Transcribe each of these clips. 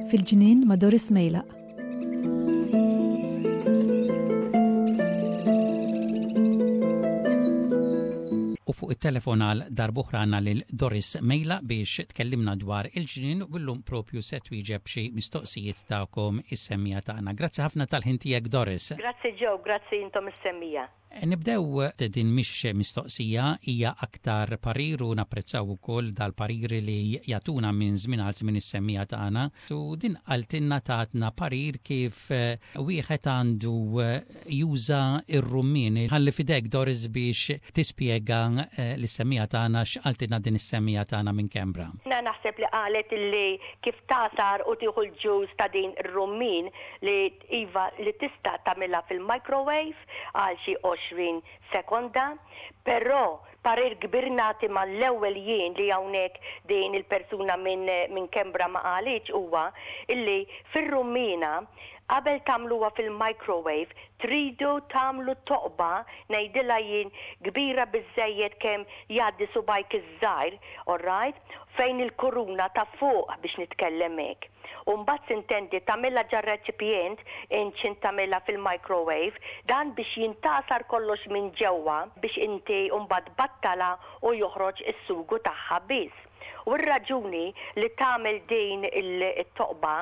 Fil-ġnien ma' Doris Mejlaq. U fuq it-telefon għal darb'oħra għandna lil Doris Mejla biex tkellimna dwar il-ġnien u llum propju se twieġeb xi mistoqsijiet tagħkom is-semmija tagħna. Grazzi ħafna tal-ħin tiegħek Doris. Grazzi Joe, grazzi intom is-semmija. Nibdew din mhix mistoqsija, hija aktar parir u napprezzaw ukoll dal-pariri li jagħtuna minn żmien għal żmien is-semmiegħa tagħna. U din qaltilna tatna parir kif wieħed għandu juża r-rummien. Ħalli f'idejk Doris biex tispjega lis-semmiegħa tagħna x'qaltilna din is-semmiegħa tagħna minn Canberra. Jiena naħseb li qalet illi kif tagħsar u tieħu l-juice ta' din ir-rummien li Iva li tista' tagħmilha fil-microwave għal xi 20 sekonda, però parir kbir nagħti mal-ewwel jien li hawnhekk din il-persuna minn minn Canberra ma qalitx huwa illi fir-rummiena qabel tagħmluha fil-microwave tridu tagħmlu toqba ngħidilha jien kbira biżżejjed kemm jgħaddi subgħajk iż-żgħir alright fejn il-kuruna ta' fuq biex nitkellem hekk. U mbagħad sintendi tagħmilha ġar-reċipjent int x'int tagħmilha fil-microwave, dan biex jintgħasar kollox minn ġewwa biex inti mbagħad tbattalha u joħroġ is-sugu tagħha biss. U r-raġuni li tagħmel din it-toqba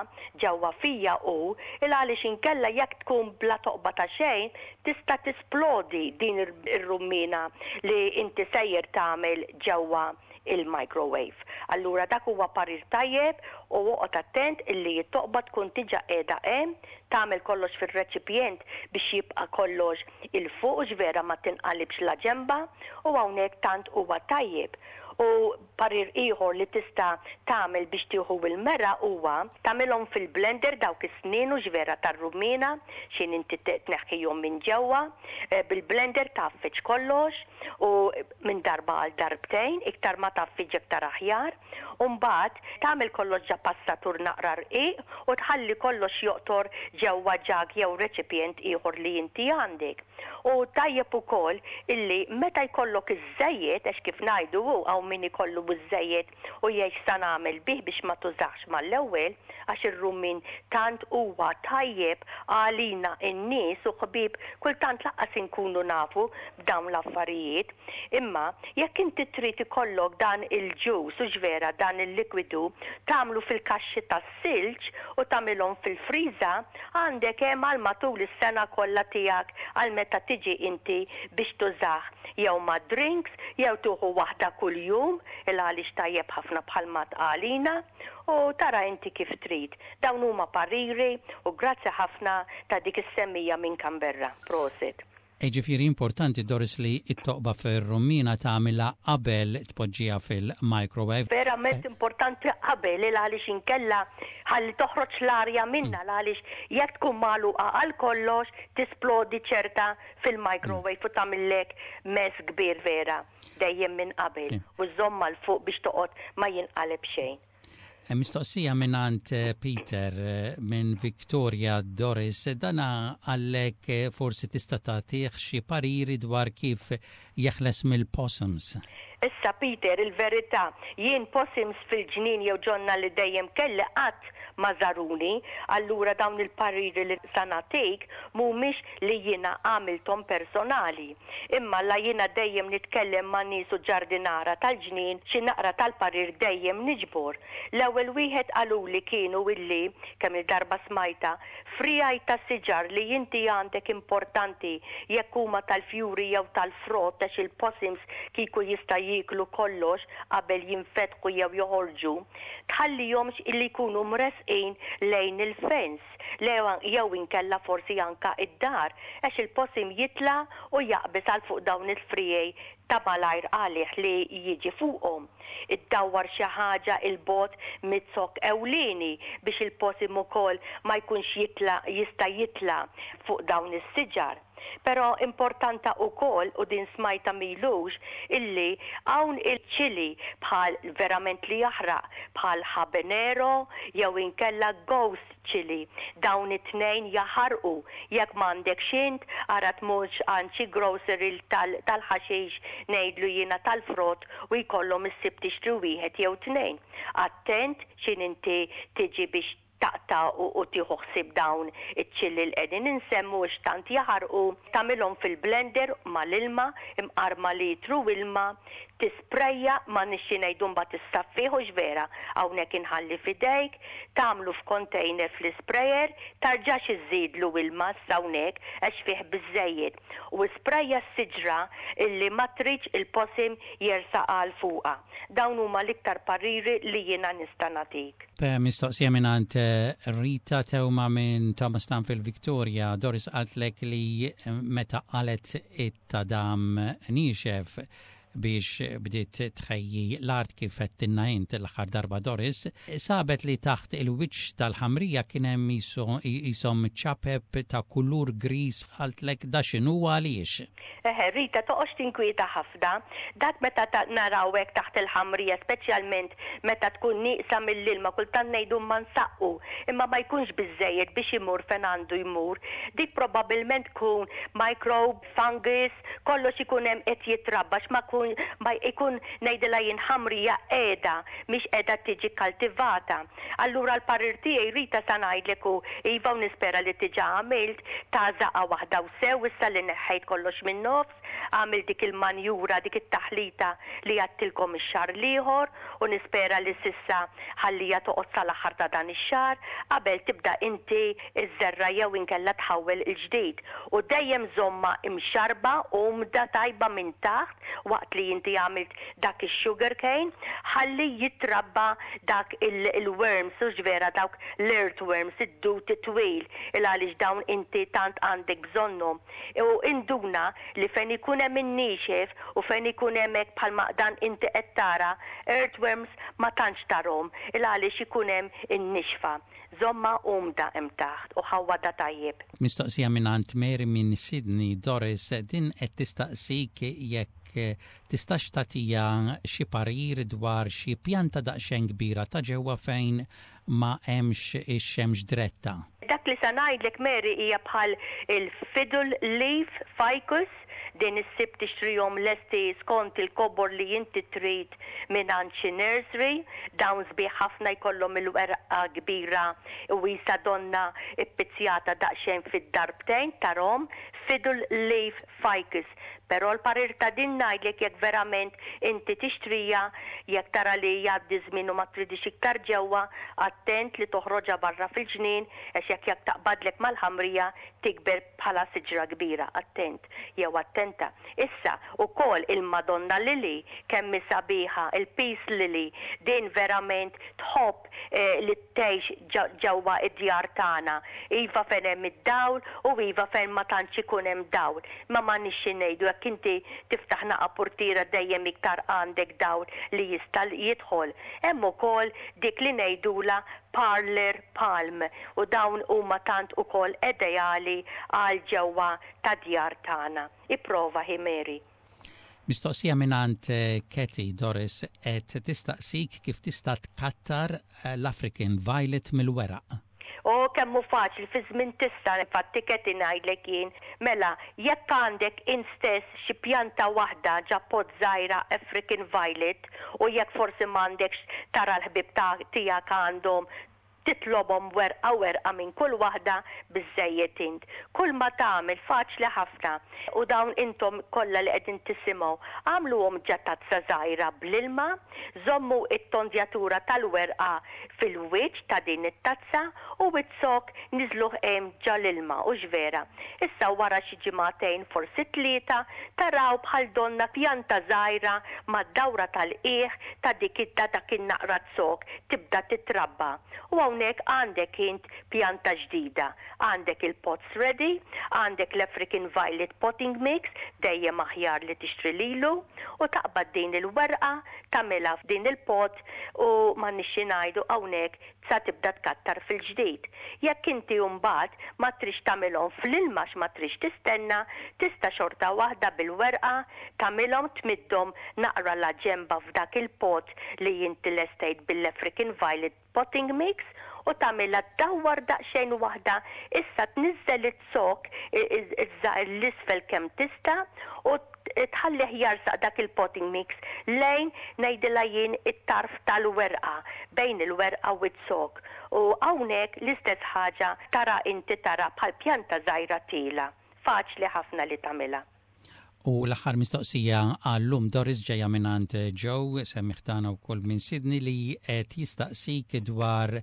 ġewwa fija hu il għaliex inkella jekk tkun bla toqba ta' xejn tista' tisplodi din ir-rummiena li inti sejjer tagħmel ġewwa il-microwave. Allura dak huwa parir tajjeb u oqgħod attent illi t-toqba tkun diġa qiegħda hemm, tagħmel kollox fir-reċipjent biex jibqa' kollox 'il fuq hux vera ma tinqalibx la ġenba u hawnhekk tant huwa tajjeb. U parir ieħor li tista' tagħmel biex tieħu l-meraq huwa tagħmilhom fil-blender dawk is-snien hux vera tar-rummiena x'in inti tneħħihom minn ġewwa, bil-blender tgħaffeġ kollox u minn darba għal darbtejn, iktar ma tgħaffiġ iktar aħjar, u mbagħad tagħmel kollox ġa passatur naqra rqiq u tħalli kollox joqtor ġewwa ġag jew reċipjent ieħor li inti għandek. U tajjeb ukoll illi meta jkollok iż-żejjed, għax kif ngħidu hu hawn min ikollu ż-żejjed u jgħid x'sa nagħmel bih biex ma tużahx mal-ewwel, għax ir-rummien tant huwa tajjeb għalina n-nies u ħbieb kultant lanqas inkunu nafu b'dawn l-affarijiet. Imma jekk inti trid ikollok dan il-juice, hux vera, dan il-likwidu, tagħmlu fil-kaxxi tas-silġ u tagħmilhom fil-friża, għandek hemm għal matul is-sena kollha tiegħek għal meta tiġi inti biex tużah jew mad-drinks jew tieħu waħda kuljum il għaliex tajjeb ħafna bħalma tqalina u tara inti kif trid. Dawn huma pariri u grazzi ħafna ta' dik is-semmija minn Canberra. Prosit. Jiġifieri importanti Doris li t-toqba fir-rummiena tagħmilha qabel tpoġġiha fil-microwave. Verament importanti qabel il għaliex inkella ħalli toħroġ l-arja minnha l għaliex jekk tkun magħluqa għal kollox tisplodi ċerta fil-microwave u tagħmillek mess kbir vera. Dejjem minn qabel u żżommha 'l fuq biex toqgħod ma jinqaleb xejn. Mistoqsija mingħand Peter minn Victoria Doris, dana qallek forsi tista' tagħtih xi pariri dwar kif jeħles mill-possums. Issa Peter, il-verità, jien possums fil-ġnien jew ġonna li dejjem kelli qatt ma żaruni, allura dawn il-pariri li sa nagħtik mhumiex li jiena għamilthom personali. Imma la jiena dejjem nitkellem ma' nies u ġardinara tal-ġnien xi naqra tal-parir dejjem niġbor. L-ewwel wieħed qaluli kienu illi, kemm-il darba smajtha, friegħi ta' siġar li inti għandek importanti jekk huma tal-fjuri jew tal-frott għax il-possums kieku jista' jieklu kollox qabel jinfetħu jew joħorġu, tħallihomx illi jkunu mressqin lejn il-fence. Le jew inkella forsi anka id-dar għax il-possum jitla' u jaqbeż għal fuq dawn il-friegħi ta' malajr għalih li jiġi fuqhom. Iddawwar xi ħaġa 'il bogħod miz-zokk ewlieni biex il-possum ukoll ma jkunx jitla' jista' jitla' fuq dawn is-siġar. Però importanta ukoll, u din smajtha m'ilux, illi hawn il-chili bħal verament li jaħraq bħal habanero jew inkella ghost chili. Dawn it-tnejn jaħarqu. Jekk m'għandekx int, ara tmurx għand xi grocery tal-ħaxix ngħidlu jiena tal-frott u jkollhom issib tixtri wieħed jew tnejn. Attent x'in inti tiġi biex taqta' u tieħu ħsieb dawn iċ-chili li qegħdin insemmu għax tant jaħarqu, tagħmilhom fil-blender mal-ilma, imqar ma' litru ilma, tisprejja, m'għandniex xi ngħidu mbagħad issaffih hux vera, hawnhekk inħalli f'idejk, tagħmlu f'container fl-isprayer, tarġax iżżidlu ilma issa hawnhekk għax fih biżżejjed, u isprejja s-siġra illi ma tridx il-possum jersaq għal fuqha. Dawn huma l-iktar pariri li jiena nista' nagħtik. Mistoqsija mingħand Rita Teuma minn Thomastown fil-Victoria. Doris qaltlek li meta qalet it-tadam niexef biex bdiet tħejji l-art kif għedtilna int l-aħħar darba Doris, sabet li taħt il-wiċċ tal-ħamrija kien hemm qishom ċapep ta' kulur griż qaltlek da x'inhu u għaliex. Eħe, Rita, toqgħodx tinkwieta ħafna. Dak meta naraw hekk taħt il-ħamrija, speċjalment meta tkun nieqsa mill-ilma, kultant ngħidu imma nsaqqu, imma ma jkunx biżżejjed biex imur fejn għandu jmur. Dik probabbilment tkun microbe, fungus, kollox ikun hemm qed jitrabba għax ma jkun ma jkun ngħidilha jien ħamrija qiegħda mhix qiegħda tiġi kkaltivata. Allura l-parir tiegħi Rita sa ngħidlek hu iva u nispera li diġà għamilt, tagħżaqha waħda u sew issa li neħħejt kollox min-nofs, għamilt dik il-manjura, dik it-taħlita li għedtilkom ix-xahar l-ieħor u nispera li s'issa ħalliha toqgħod sal-aħħar ta' dan ix-xahar qabel tibda inti iżżerra' jew inkella tħawwel il-ġdid u dejjem żommha imxarrba umda tajba minn taħt waqt li inti għamilt dak ix-sugar cane ħalli jitrabba dak il-worms hux vera dawk l-earthworms id-dud it-twil il għaliex dawn inti tant għandek bżonnhom u induna li fejn ikun hemm in-niexef u fejn ikun hemm hekk bħalma dan inti qed tara earthworms ma tantx tarhom il għaliex ikun hemm in-nixfa. Żommha umda hemm taħt u ħawwadha tajjeb. Mistoqsija mingħand Mary minn Sydney, Doris, din qed tistaqsik jekk tistax tagħtiha xi parir dwar xi pjanta daqsxejn kbira ta' ġewwa fejn ma hemmx ix-xemx diretta. Dak li sa ngħidlek Mary hija bħal il-fiddle leaf ficus, Din issib tixtrihom lesti skont il-kobor li inti trid mingħand xi nursery. Dawn sbieħ ħafna jkollhom il-werqa kbira u qisha donnha ppizzjata daqsxejn fid-darbtejn tarhom, fiddle leaf ficus. Però l-parir ta' din ngħidlek jekk verament inti tixtriha, jekk tara li jgħaddi ż-żmien u ma tridhiex iktar ġewwa, attent li toħroġha barra fil-ġnien għax jekk jekk taqbadlek mal-ħamrija tikber bħala siġra kbira, attent jew attenta. Issa, ukoll il-Madonna Lily, kemm hi sabiħa, il-Peace Lily, din verament tħobb li tgħix ġewwa d-djar tagħna. Iva fejn hemm id-dawl u iva fejn ma tantx ikun hemm dawl. Imma m'għandniex xi ngħidu jekk inti tiftaħ naqa' purtiera dejjem iktar għandek dawl li jista' jidħol. Hemm ukoll dik li ngħidulha parlour palm u dawn huma tant ukoll edeali għal ġewwa tad-djar tagħna. Ipprova hi Mary. Mistoqsija mingħand Kathy Doris qed tistaqsik kif tista' tkattar l-African Violet mill-weraq. O kemm hu faċli fi żmien tista' infatti Kathy ngħidlek jien. Mela, jekk għandek int stess xi pjanta waħda ġa pot żgħira African Violet u jekk forsi m'għandekx tara l-ħbieb ta' tiegħek għandhom titlobhom werqa werqa minn kull waħda biżżejjed int. Kull ma tagħmel faċli ħafna u dawn intom kollha li qegħdin tisimgħu agħmluhom ġa tazza żgħira bl-ilma, żommu t-tondjatura tal-werqa fil-wiċċ ta' din it-tazza u iz-zokk niżluh hemm ġa l-ilma, hux vera? Issa wara xi ġimagħtejn forsi tlieta taraw bħal donnha pjanta żgħira mad-dawra tal-qiegħ ta' dik ta' dak in-naqra zokk tibda titrabba. U hawnhekk. hawnhekk għandek int pjanta ġdida. Għandek il-pots ready, għandek l-African Violet Potting Mix, dejjem aħjar li tixtri lilu, u taqbad din il-werqa, tagħmilha f'din il-pot u m'għandniex xi ngħidu hawnhekk sa tibda tkattar fil-ġdid. Jekk inti mbagħad ma tridx tagħmilhom fl-ilma għax ma tridx tistenna, tista' xorta waħda bil-werqa tagħmilhom tmiddhom naqra la ġenba f'dak il-pot li inti lestejt bil-African Violet Potting Mix u tagħmilha ddawwar daqsxejn waħda issa tniżżel iz-zokk iż-żgħir 'l isfel kemm tista' u tħallih jarsaq dak il-potting mix lejn ngħidilha jien it-tarf tal-werqa bejn il-werqa u z-zokk u hawnhekk l-istess ħaġa tara inti tara bħal pjanta żgħira tiela'. Faċli ħafna li tagħmilha. U l-aħħar mistoqsija għal-lum Doris ġejja mingħand Joe, semmiegħ tagħna wkoll minn Sydney li qed jistaqsik dwar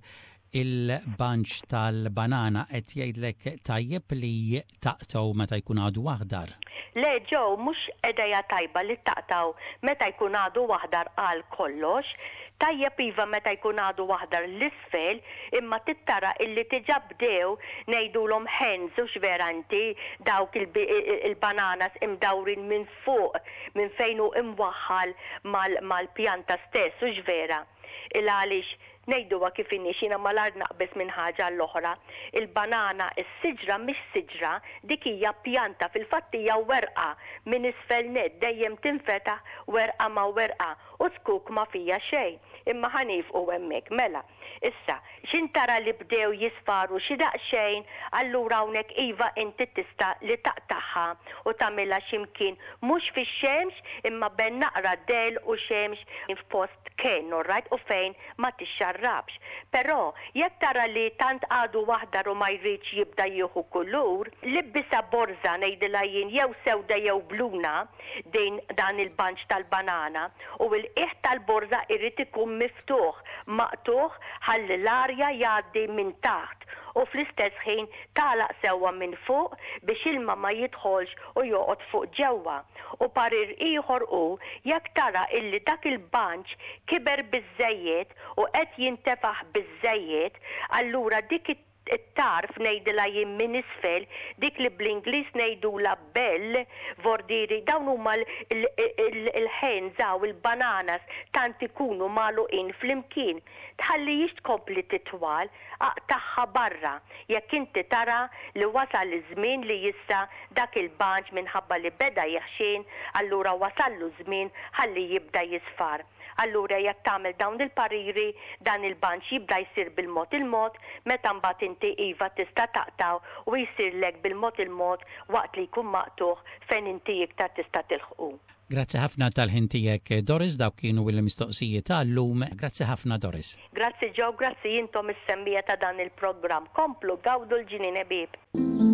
il-bunch tal-banana qed jgħidlek tajjeb li taqtgħu meta jkun għadu aħdar. Le Joe, mhux idea tajba li taqtgħu meta jkun għadu aħdar għal kollox. Tajjeb iva meta jkun għadu aħdar 'l isfel imma trid tara illi diġà bdew ngħidulhom hens hux vera inti dawk il-bananas imdawrin minn fuq minn fejn hu imwaħħal mal-pjanta stess hux vera? Il għaliex ngħiduha kif inhi x'jiena malajr naqbeż minn ħaġa għall-oħra il-banana is-siġra mhix siġra dik hija pjanta fil-fatt hija werqa minn isfel nett dejjem tinfetaħ werqa ma' werqa u zkuk ma fija xejn imma ħa niefqu hemmhekk mela Issa, x'int tara li bdew jisfaru xi daqsxejn, allura hawnhekk iva inti tista' li taqtagħha u tagħmilha xi mkien mhux fix-xemx imma ben naqra dell u xemx f'post kenn alright u fejn ma tixxarrabx. Però, jekk tara li tant għadu aħdar u ma jridx jibda jieħu kulur, libbisha borża ngħidilha jien jew sewda jew bluna din dan il-bunch tal-banana u l-qiegħ tal-borża irid ikun miftuħ maqtugħ ħalli l-arja jgħaddi minn taħt u fl-istess ħin tagħlaq sewwa minn fuq biex ilma ma jidħolx u joqgħod fuq ġewwa. U parir ieħor hu jekk tara illi dak il-bunch kiber biżżejjed u qed jintefaħ biżżejjed allura dik it it-tarf ngħidilha jien minn isfel, dik li bl-Ingliż ngħidulha bell, vordieri, dawn huma l-hens hawn, il-bananas, tant ikunu magħluqin flimkien. Tħallihiex tkompli titwal, aqtagħha barra, jekk inti tara li wasal iż-żmien li issa dak il-bunch minħabba li beda jeħxien, allura wasallu ż-żmien ħalli jibda jisfar. Allura jekk tagħmel dawn il-pariri, dan il-bunch jibda jsir bil-mod il-mod, meta mbagħad inti iva tista' taqtgħu u jsirlek bil-mod il-mod waqt li jkun maqtugħ fejn inti iktar tista' tilħqu. Grazzi ħafna tal-ħin tiegħek Doris, dawk kienu l-mistoqsijiet għal-lum. Grazzi ħafna Doris. Grazzi Joe, grazzi intom is-semmiegħa ta' dan il-programm. Komplu gawdu l-ġnien ħbieb.